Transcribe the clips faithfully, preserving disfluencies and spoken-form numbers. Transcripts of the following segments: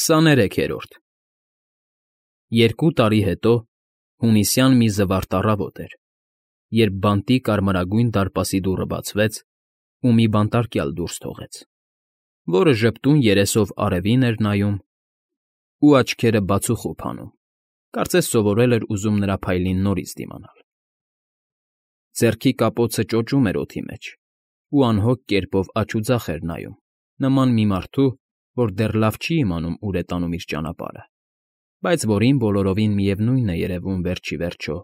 Քսաներեքերորդ Երկու տարի հետո հունիսյան մի զվարթ առավոտ էր, երբ բանտի կարմրագույն դարպասի դուռը բացվեց ու մի բանտարկյալ դուրս թողեց, որը ժպտուն երեսով արևին էր նայում ու աչքերը բացուխոփ անում, կարծես սովորել էր ուզում նրա փայլին նորից դիմանալ։ Ձեռքի կապոցը ճոճում էր օդի մեջ ու անհոգ կերպով աջ ու ձախ էր նայում, նման մի մարդու, որ դեռ լավ չի իմանում ուր է տանում իր ճանապարհը, բայց որին բոլորովին միևնույն է երևում վերջ ի վերջո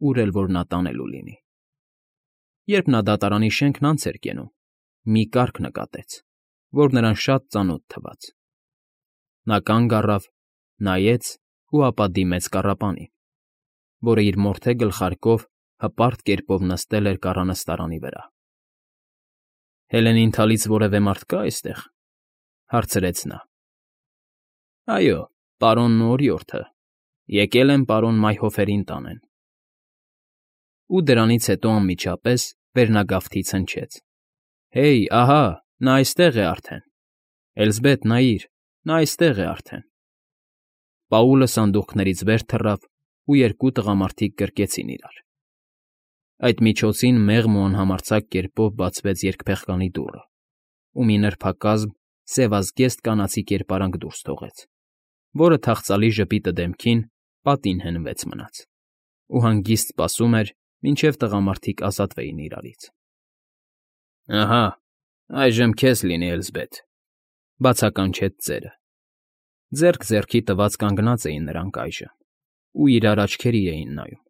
ուր էլ որ նա տանելու լինի։ Երբ նա դատարանի շենքն անց էր կենում, մի կառք նկատեց, որ նրան շատ ծանոթ թվաց։ Նա կանգ առավ, նայեց ու ապա դիմեց կառապանին, որը իր մորթե գլխարկով հպարտ կերպով նստել էր կառանստարանի վրա։ ֊ Հելենին թալից որևէ մարդ կա՞ այստեղ,֊ հարցրեց նա։ ֊ Այո, պարոնն ու օրիորդը, եկել են պարոն Մայհոֆերին տանեն։ Ու դրանից հետո անմիջապես վերնագավթից հնչեց. Հեյ, ահա, նա այստեղ է արդեն, Էլզբեթ, նայիր, նա այստեղ է արդեն։ Պաուլը սանդուղքներից վեր թռավ, ու երկու տղամարդիկ գրկեցին իրար։ Այդ միջոցին մեղմ ու անհամարձակ կերպով բացվեց երկփեղկանի դուռը, ու մի նրբակազմ, սևազգեստ կանացի կերպարանք դուրս թողեց, որը թախծալի ժպիտը դեմքին պատին հենվեց մնաց, ու հանգիստ սպասում էր, մինչև տղամարդիկ ազատվեին իրարից։ ֊ Ահա, այժմ քեզ լինի, Էլզբեթ,֊ բացականչեց ծերը։ Ձեռք ձեռքի տված կանգնած էին նրանք այժմ ու իրար աչքերի էին նայում,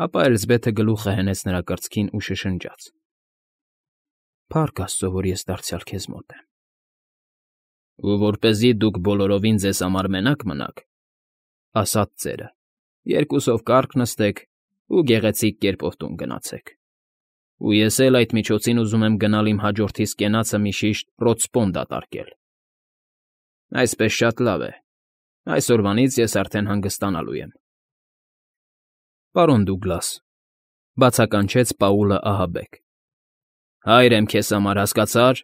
ապա Էլզբեթը գլուխը հենեց նրա կրծքին ու շշնջաց. ֊ Փառք աստծո, որ ես դարձյալ քեզ մոտ եմ։ ֊ Ու որպեսզի դուք բոլորովին ձեզ համար մենակ մնաք,֊ ասաց ծերը,֊ երկուսով կառք նստեք ու գեղեցիկ կերպով տուն գնացեք։ Ու ես էլ այդ միջոցին ուզում եմ գնալ իմ հաջորդիս կենացը մի շիշտ ռոտսպոն դատարկել։ ֊ Այսպես շատ լավ է, այսօրվանից ես արդեն հանգստանալու եմ։ ֊ Պարոն Դուգլաս,֊ բացականչեց Պաուլը ահաբեկ,֊ հայր եմ քեզ համար, հասկացա՞ր։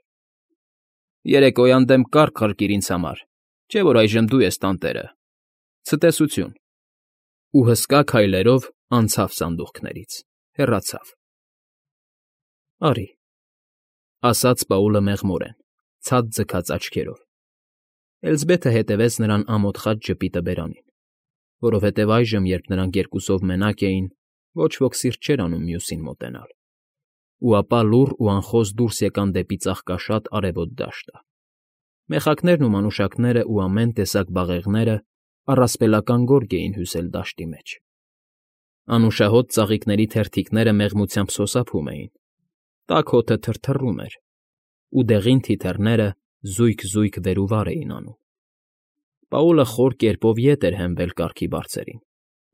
Երեկոյան դեմ կառք ղրկիր ինձ համար, չէ՞ որ այժմ դու ես տանտերը։ Ցտեսություն։ Ու հսկա քայլերով անցավ սանդուղքներից, հեռացավ։ ֊ Արի,֊ ասաց Պաուլը մեղմորեն, ցած ձգած աչքերով։ Էլզբեթը հետևեց նրան ամոթխած ժպիտը բերանին, որովհետև այժմ, երբ նրանք երկուսով մենակ էին, ոչ ոք սիրտ չէր անում մյուսին մոտենալ, ու ապա լուռ ու անխոս դուրս եկան դեպի ծաղկաշատ արևոտ դաշտը։ Մեխակներն ու մանուշակներն ու ամեն տեսակ բաղեղները առասպելական գորգ էին հյուսել դաշտի մեջ։ Անուշահոտ ծաղիկների թերթիկները մեղմությամբ սոսափում էին, տաք հոտը թրթռում էր, ու դեղին թիթեռները զույգ֊զույգ վեր ու վար էին անում։ Պաուլը խոր կերպով ետ էր հենվել կառքի բարձերին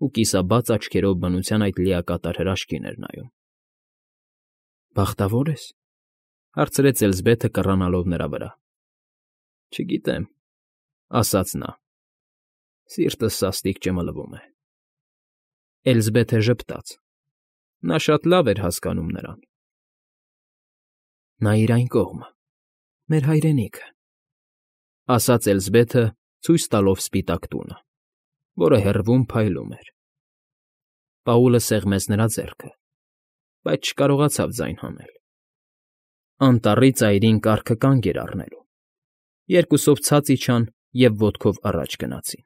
ու կիսաբաց աչքերով բնության այդ լիակատար հրաշքին էր նայում։ ֊ Բախտավո՞ր ես,֊ հարցրեց Էլզբեթը կռանալով նրա վրա։ ֊ Չգիտեմ,֊ ասաց նա։ Սիրտս սաստիկ ճմլվում է։ Էլզբեթը ժպտաց. նա շատ լավ էր հասկանում նրան։ ֊ Նայիր այն կողմը, մեր հայրենիքը,֊ ասաց Էլզբեթը ցույց տալով սպիտակ տունը, որը հեռվում փայլում էր։ Պաուլը սեղմեց նրա ձեռքը, բայց չկարողացավ ձայն հանել։ Անտառի ծայրին կառքը կանգ էր առնելու։ Երկուսով ցած իջան և ոտքով առաջ գնացին։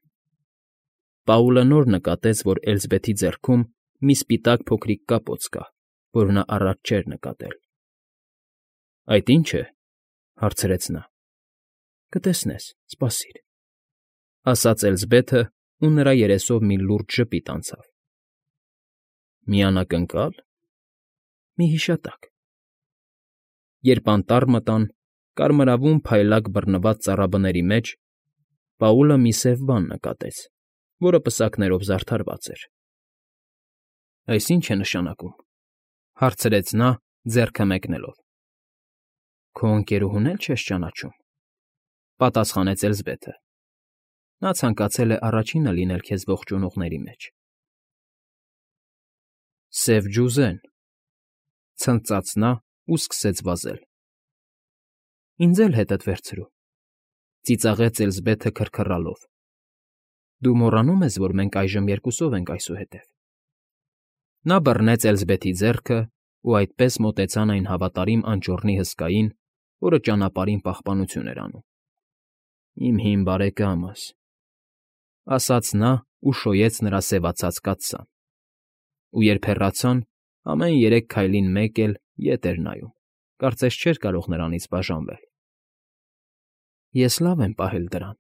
Պաուլը նոր նկատեց, որ Էլզբեթի ձեռքում մի սպիտակ փոքրիկ կապոց կա, որ նա առաջ չէր նկատել։ ֊ Այդ ի՞նչ է,֊ հարցրեց նա։ ֊ Կտեսնես, սպասիր,֊ ասաց Էլզբեթը, ու նրա երեսով մի լուրջ ժպիտ անցավ։ ֊ Մի անակնկա՞լ։ ֊ Մի հիշատակ։ Երբ անտառ մտան, կարմրավուն փայլակ բռնված ծառաբների մեջ Պաուլը մի սև բան նկատեց, որը պսակներով զարդարված էր։ ֊ Այս ի՞նչ է նշանակում,֊ հարցրեց նա, ձեռքը մեկնելով։ ֊ Քո ընկերուհուն էլ չես ճանաչում,֊ պատասխանեց Էլզբեթը։ Նա ցանկացել է առաջինը լինել քեզ ողջունողների մեջ։ ֊ Սև ջուզեն,֊ ցնծաց նա ու սկսեց վազել։ ֊ Ինձ էլ հետդ վերցրու,֊ ծիծաղեց Էլզբեթը քրքռալով։ Դու մոռանում ես, որ մենք այժմ երկուսով ենք այսուհետև։ Նա բռնեց Էլզբեթի ձեռքը ու այդպես մոտեցան այն հավատարիմ անճոռնի հսկային, որը ճանապարհին պահպանություն էր անում։ Իմ հին բարեկամս, ասաց նա ու շոյեց նրա սևացած կաթսան։ Ու երբ հեռացան, ամեն երեք քայլին մեկ էլ ետ էր նայում, կարծես չէր կարող նրանից բաժանվել։ Ես լավ եմ պահել դրան,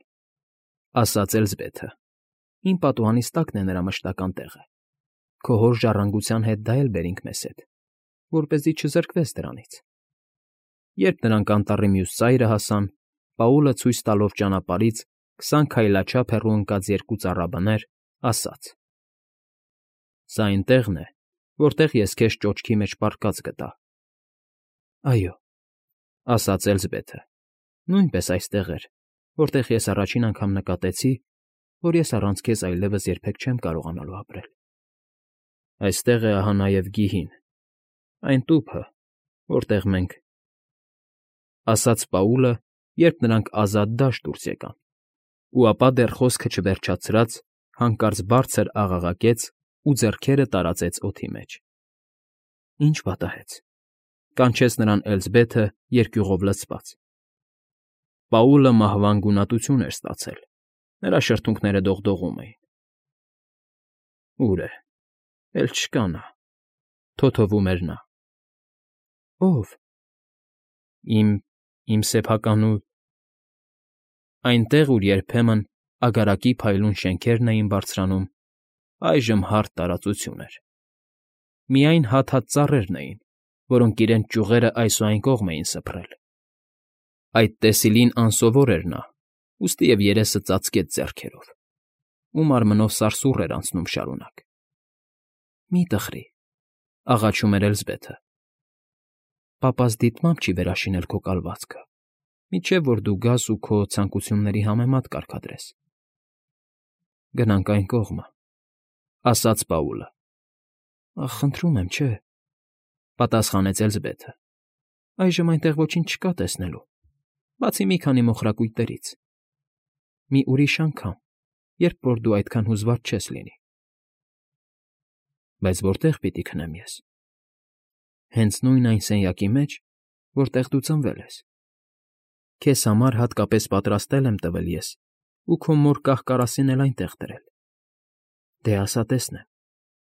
ասաց Էլզբեթը։ Իմ պատուհանիս տակն է նրա մշտական տեղը։ Քո հոր ժառանգության հետ դա էլ բերինք մեզ հետ, որպեսզի չզրկվես դրանից։ Երբ նրանք անտառի մյուս ծայրը հասան, Պաուլը ցույց տալով ճանապարհից քսան քայլաչափ հեռու ընկած երկու ծառաբներ, ասաց. Սա այն տեղն է, որտեղ ես քեզ ճոճքի մեջ պառկած գտա։ Այո, ասաց Էլզբեթը, նույնպես այստեղ էր, որտեղ ես առաջին անգամ նկատեցի, որ ես առանց քեզ այլևս երբեք չեմ կարողանալու ապրել։ Այստեղ է ահա նաև գիհին, այն տուփը, որտեղ մենք… ասաց Պաուլը, երբ նրանք ազատ դաշտ դուրս եկան, ու ապա դեռ խոսքը չվերջացրած, հանկարծ բարձր աղաղակեց ու ձեռքերը տարածեց օդի մեջ։ Ինչ պատահեց, կանչեց նրան Էլզբեթը երկյուղով լցված։ Պաուլը մահվան գունատություն էր ստացել, նրա շրթունքները դողդողում էին։ Ուր է, էլ չկա նա, թոթովում էր նա։ Ո՞վ։ Իմ… իմ սեփական ու… Այնտեղ, ուր երբեմն ագարակի փայլուն շենքերն էին բարձրանում, այժմ հարթ տարածություն էր։ Միայն հատ֊հատ ծառերն էին, որոնք իրենց ճյուղերը այս ու այն կողմ էին սփռել։ Այդ տեսիլին անսովոր էր նա, ուստի և երեսը ծածկեց ձեռքերով, ու մարմնով սարսուռ էր անցնում շարունակ։ Մի տխրի, աղաչում էր Էլզբեթը։ Պապաս դիտմամբ չի վերաշինել քո կալվածքը, մինչև որ դու գաս ու քո ցանկությունների համեմատ կարգադրես։ Գնանք այն կողմը, ասաց Պաուլը։ Ախ, խնդրում եմ, չէ, պատասխանեց Էլզբեթը։ Այժմ այնտեղ ոչինչ չկա տեսնելու, բացի մի քանի մոխրակույտերից։ Մի ուրիշ անգամ, երբ որ դու այդքան հուզված չես լինի։ Բայց որտե՞ղ պիտի քնեմ ես։ Հենց նույն այն սենյակի մեջ, որտեղ դու ծնվել ես։ Քեզ համար հատկապես պատրաստել եմ տվել ես ու քո մոր կահ֊կարասին էլ այնտեղ դրել։ Դե ասա տեսնեմ,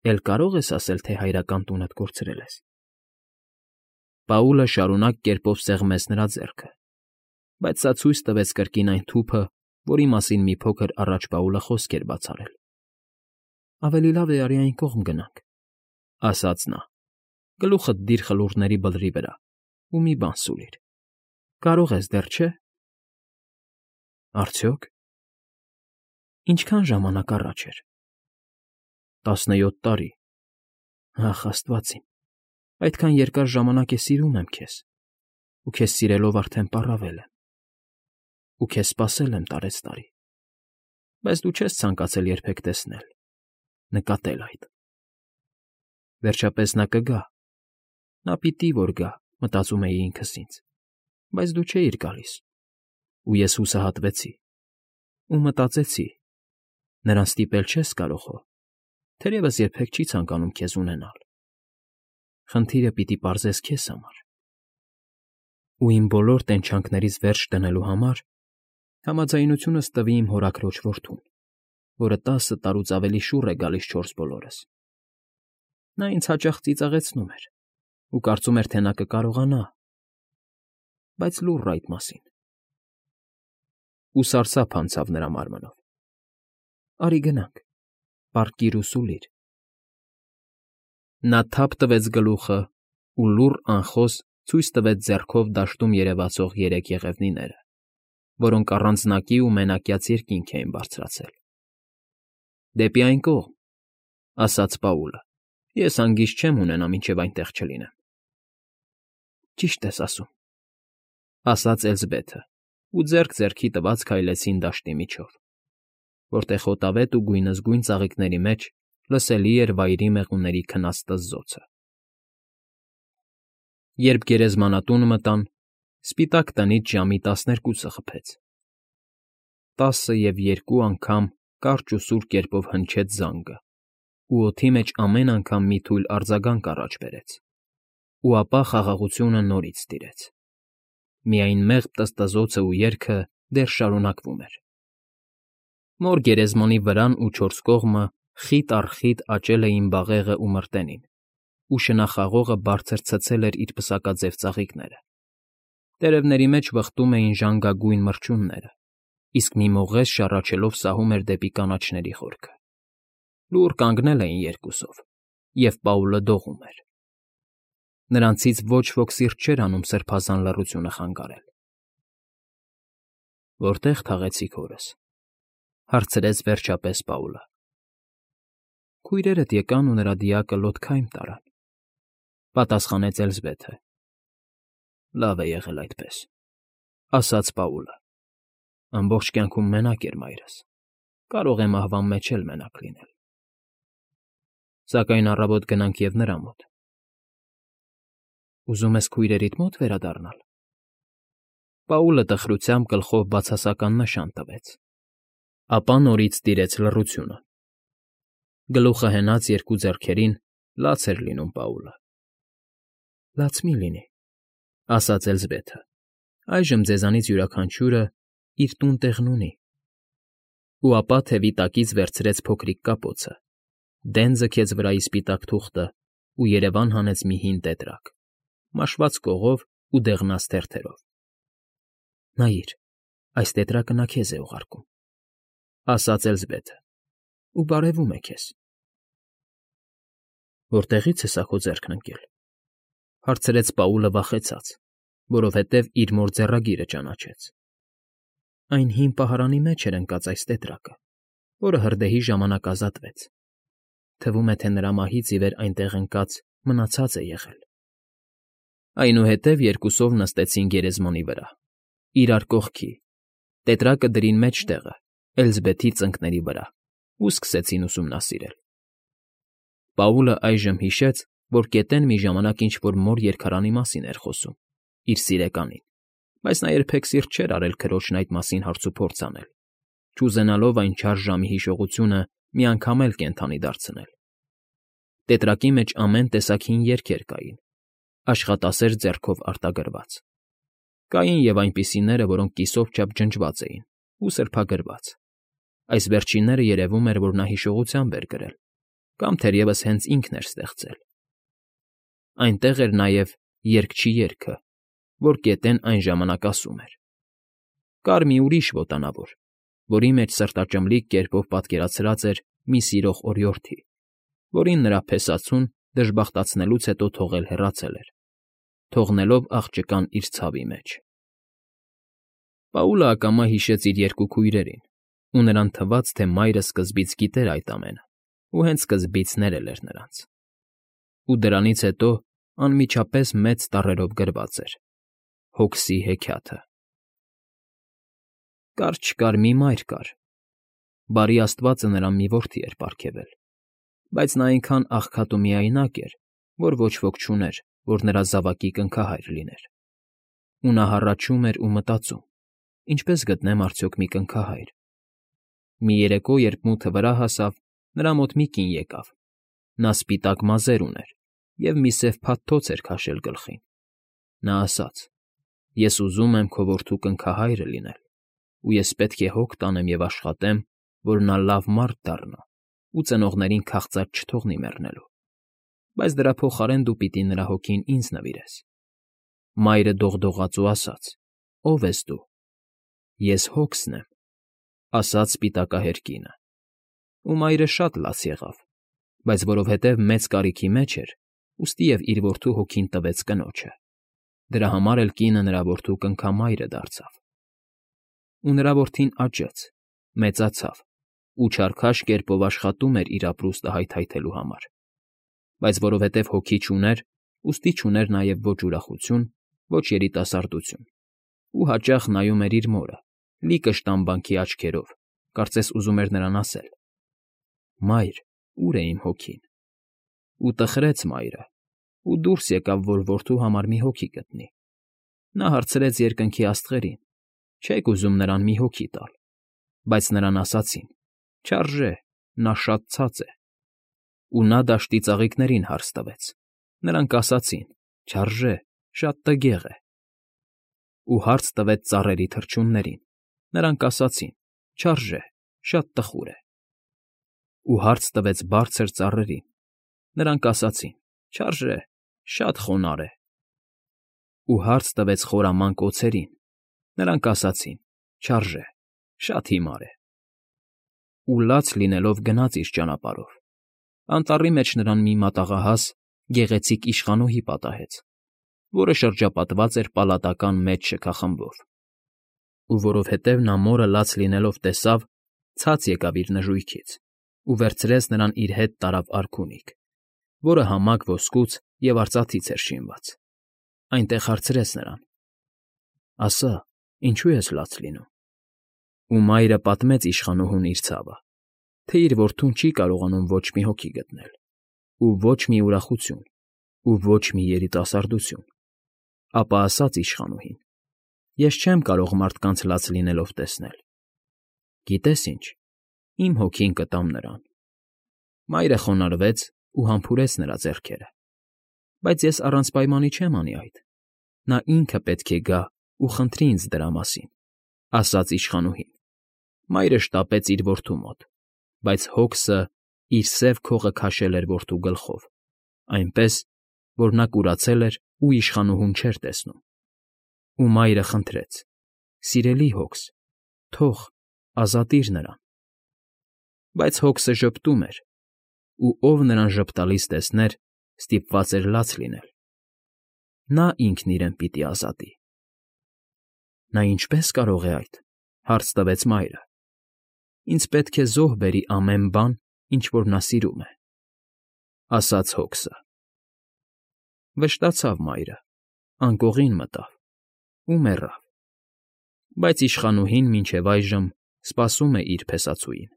էլ կարո՞ղ ես ասել, թե հայրական տունդ կորցրել ես։ Պաուլը շարունակ կերպով սեղմեց նրա ձեռքը, բայց սա ցույց տվեց կրկին այն թուփը, որի մասին մի փոքր առաջ Պաուլը խոսք էր բաց արել։ Ավելի լավ է արի այն կողմ գնանք, ասաց նա։ Գլուխդ դիր խլուրների բլրի վրա ու մի բան սուլիր։ Կարող ես դեռ, չէ՞։ Արդյոք։ Ինչքան ժամանակ առաջ էր։ Տասնյոթ տարի։ Ախ, աստված իմ, այդքան երկար ժամանակ է սիրում եմ քեզ, ու քեզ սիրելով արդեն պառավել եմ, ու քեզ սպասել եմ տարեցտարի, բայց դու չես ցանկացել երբեք տեսնել, նկատել այդ։ Վերջապես նա կգա, նա պիտի որ գա, մտածում էի ինքս ինձ, բայց դու չէիր գալիս, ու ես հուսահատվեցի, ու մտածեցի, նրան ստիպել չես կարող հո, թերևս երբեք չի ցանկանում քեզ ունենալ։ Խնդիրը պիտի պարզես քեզ համար։ Ու իմ բոլոր տենչանքներից վերջ դնելու համար համաձայնությունս տվի իմ հորաքրոջ որդուն, որը տասը տարուց ավելի շուռ է գալիս չորս բոլորս։ Նա ինձ հաճախ ծիծաղեցնում էր ու կարծում էր, թե նա կկարողանա, բայց լուռ այդ մասին։ Ու սարսափ անցավ նրա մարմնով։ Արի գնանք, պառկիր ու սուլիր։ Նա թափ տվեց գլուխը ու լուռ անխոս ցույց տվեց ձեռքով դաշտում երևացող երեք եղևնիները, որոնք առանձնակի ու մենակյաց երկինք էին բարձրացել։ Դեպի այն կողմ, ասաց Պաուլը, ես հանգիստ չեմ ունենա, մինչև այնտեղ չլինեմ։ Ճիշտ ես ասում, ասաց Էլզբեթը, ու ձեռք ձեռքի տված քայլեցին դաշտի միջով, որտեղ հոտավետ ու գույնզգույն ծաղիկների մեջ լսելի էր վայրի մեղուների քնած տզզոցը։ Երբ գերեզմանատուն մտան, սպիտակ տնից ժամի տասներկուսը խփեց, տասը և երկու անգամ կարճ ու սուր կերպով հնչեց զանգը, ու օդի մեջ ամեն անգամ մի թույլ արձագանք առաջ բերեց, ու ապա խաղաղությունը նորից տիրեց. միայն մեղմ տզտզոցն ու երգը դեռ շարունակվում էր։ Նոր գերեզմանի վրան ու չորս կողմը խիտ առ խիտ աճել էին բաղեղն ու մրտենին, ու շնախաղողը բարձր ցցել էր իր պսակաձև ծաղիկները։ Տերևների մեջ վխտում էին ժանգագույն մրջյունները, իսկ մի մողես շառաչելով սահում էր դեպի կանաչների խորքը։ Լուռ կանգնել էին երկուսով, և Պաուլը դողում էր։ Նրանցից ոչ ոք սիրտ չէր անում սրբազան լռությունը խանգարել։ «Որտե՞ղ թաղեցիք հորս,֊ հարցրեց վերջապես Պաուլը։ Քույրերդ եկան ու նրա դիակը լոթքայմ տարան,֊ պատասխանեց Էլզբեթը։ Լավ է եղել այդպես,֊ ասաց Պաուլը։ Ամբողջ կյանքում մենակ էր մայրս, կարող է մահվան մեջ էլ մենակ լինել։ Սակայն առավոտ գնանք և նրա մոտ։ Ուզում ես քույրերիդ մոտ վերադառնալ։ Պաուլը տխրությամբ գլխով բացասական նշան տվեց։ Ապա նորից տիրեց լռությունը։ Գլուխը հենած երկու ձեռքերին լաց էր լինում Պաուլը։ Լաց մի՛ լինի,֊ ասաց Էլզբեթը, այժմ ձեզանից յուրաքանչյուրը իր տուն֊տեղն ունի։ Ու ապա թևի տակից վերցրեց փոքրիկ կապոցը, դեն ձգեց վրայի սպիտակ թուղթը ու երևան հանեց մի հին տետրակ, մաշված կողով ու դեղնած թերթերով։ Նայիր, այս տետրակը նա քեզ է ուղարկում,֊ ասաց Էլզբեթը,֊ ու բարևում է քեզ։ Որտեղի՞ց է սա քո ձեռքն ընկել,֊ հարցրեց Պաուլը վախեցած, որովհետև իր մոր ձեռագիրը ճանաչեց։ Այն հին պահարանի մեջ էր ընկած այս տետրակը, որը հրդեհի ժամանակ ազատվեց։ Թվում է, թե նրա մահից ի վեր այնտեղ ընկած մնացած է եղել։ Այնուհետև երկուսով նստեցին գերեզմանի վրա, իրար կողքի, տետրակը դրին մեջտեղը, Էլզբեթի ծնկների վրա, ու սկսեցին ուսումնասիրել։ Պաուլը այժմ հիշեց, որ գետեն մի ժամանակ ինչ֊որ մոր երգարանի մասին էր խոսում, իր սիրեկանին, բայց նա երբեք սիրտ չէր արել քրոջն այդ մասին հարցուփորձ անել, չուզենալով այն չար ժամի հիշողությունը մի անգամ էլ կենդանի դարձնել։ Տետրակի մեջ ամեն տեսակ հին երգեր կային, աշխատասեր ձեռքով արտագրված։ Կային և այնպիսիները, որոնք կիսով չափ ջնջված էին ու սրբագրված։ Այս վերջինները երևում էր, որ նա հիշողությամբ էր գրել, կամ թերևս հենց ինքն էր ստեղծել։ Այնտեղ էր նաև երգչի երգը, որ գետեն այն ժամանակ ասում էր։ Կար մի ուրիշ ոտանավոր, որի մեջ սրտաճմլիկ կերպով պատկերացրած էր մի սիրող օրիորդի, որին նրա փեսացուն դժբախտացնելուց հետո թողել հեռացել էր, թողնելով աղջկան իր ցավի մեջ։ Պաուլը ակամա հիշեց իր երկու քույրերին, ու նրան թվաց, թե մայրը սկզբից գիտեր այդ ամենը ու հենց սկզբից ներել էր նրանց։ Ու դրանից հետո անմիջապես մեծ տառերով գրված էր. Հոգսի հեքիաթը։ Կար֊չկար մի մայր կար։ Բարի աստվածը նրան մի որդի էր պարգևել, բայց նա այնքան աղքատ ու միայնակ էր, որ ոչ ոք չուներ, որ նրա զավակի կնքահայր լիներ։ Ու նա հառաչում էր ու մտածում. ինչպե՞ս գտնեմ արդյոք մի կնքահայր։ Մի երեկո, երբ մութը վրա հասավ, նրա մոտ մի կին եկավ։ Նա սպիտակ մազեր ուներ և մի սև փաթթոց էր քաշել գլխին։ Նա ասաց. Ես ուզում եմ քո որդու կնքահայրը լինել, ու ես պետք է հոգ տանեմ և աշխատեմ, որ նա լավ մարդ դառնա ու ծնողներին քաղծած չթողնի մեռնելու, բայց դրա փոխարեն դու պիտի նրա հոգին ինձ նվիրես։ Մայրը դողդողաց ու ասաց. Ո՞վ ես դու։ Ես Հոգսն եմ, ասաց սպիտակահեր կինը։ Ու մայրը շատ լաց եղավ, բայց որովհետև մեծ կարիքի մեջ էր, ուստի և իր որդու հոգին տվեց կնոջը։ Դրա համար էլ կինը նրա որդու կնքամայրը դարձավ։ Ու նրա որդին աճեց, մեծացավ ու չարքաշ կերպով աշխատում էր իր ապրուստը հայթայթելու համար։ Բայց որովհետև հոգի չուներ, ուստի չուներ նաև ոչ ուրախություն, ոչ երիտասարդություն, ու հաճախ նայում էր իր մորը, լի կշտամբանքի աչքերով, կարծես ուզում էր նրան ասել. Մայր, ո՞ւր է իմ հոգին։ Ու տխրեց մայրը, ու դուրս եկավ, որ որդու համար մի հոգի գտնի։ Նա հարցրեց երկնքի աստղերին. Չե՞ք ուզում նրան մի հոգի տալ։ բայց նրան ասացին. «Չարժե, նա շատ ցած է»։ Ու նա դաշտի ծաղիկներին հարց տվեց։ Նրանք ասացին. «Չարժե, շատ տգեղ է»։ Ու հարց տվեց ծառերի թռչուններին։ Նրանք ասացին. «Չարժե, շատ տխուր է»։ Ու հարց տվեց բարձր ծառերին։ Նրանք ասացին. «Չարժե, շատ խոնարհ է»։ Ու հարց տվեց խորամանկ օձերին։ Նրանք ասացին. «Չարժե, շատ հիմար է»։ Ու լաց լինելով գնաց իր ճանապարհով։ Անտառի մեջ նրան մի մատաղահաս, գեղեցիկ իշխանուհի պատահեց, որը շրջապատված էր պալատական մեծ շքախմբով։ Ու որովհետև նա մորը լաց լինելով տեսավ, ցած եկավ իր նժույգից ու վերցրեց նրան իր հետ տարավ արքունիք, որը համակ ոսկուց և արծաթից էր շինված։ Այնտեղ հարցրեց նրան. «Ասա, ինչո՞ւ ես լաց լինում»։ Ու մայրը պատմեց իշխանուհուն իր ցավը, թե իր որդուն չի կարողանում ոչ մի հոգի գտնել, ու ոչ մի ուրախություն, ու ոչ մի երիտասարդություն։ Ապա ասաց իշխանուհին. «Ես չեմ կարող մարդկանց լաց լինելով տեսնել։ Գիտե՞ս ինչ, իմ հոգին կտամ նրան»։ Մայրը խոնարհվեց ու համբուրեց նրա ձեռքերը։ «Բայց ես առանց պայմանի չեմ անի այդ. նա ինքը պետք է գա ու խնդրի ինձ դրա մասին», ֊ ասաց իշխանուհին։ Մայրը շտապեց իր որդու մոտ, բայց հոգսը իր սև քողը քաշել էր որդու գլխով, այնպես, որ նա կուրացել էր ու իշխանուհուն չէր տեսնում։ Ու մայրը խնդրեց. «Սիրելի հոգս, թող, ազատիր նրան»։ Բայց հոգսը ժպտում էր, ու ով նրան ժպտալիս տեսներ, ստիպված էր լաց լինել։ Նա ինքն իրեն պիտի ազատի։ «Նա ինչպե՞ս կարող է այդ», ֊ հարց տվեց մայրը։ «Ինձ պետք է զոհ բերի ամեն բան, ինչ որ նա սիրում է», ֊ ասաց հոգսը։ Վշտացավ մայրը, անկողին մտավ ու մեռավ։ Բայց իշխանուհին մինչև այժմ սպասում է իր փեսացուին։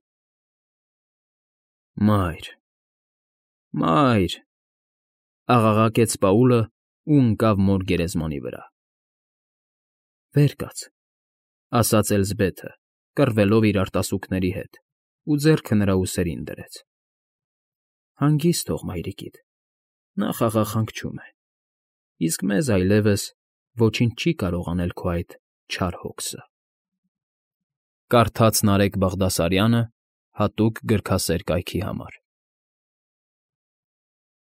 «Մա՛յր, մա՛յր», ֊ աղաղակեց Պաուլը ու ընկավ մոր գերեզմանի վրա։ «Վեր կաց», ֊ ասաց Էլզբեթը, կռվելով իր արտասուքների հետ, ու ձեռքը նրա ուսերին դրեց։ «Հանգիստ թող մայրիկիդ, նա խաղաղհանգչում է, իսկ մեզ այլևս ոչինչ չի կարող անել քո այդ չար հոգսը»։ Կարդաց Նարեկ Բաղդասարյանը հատուկ գրքասեր կայքի համար։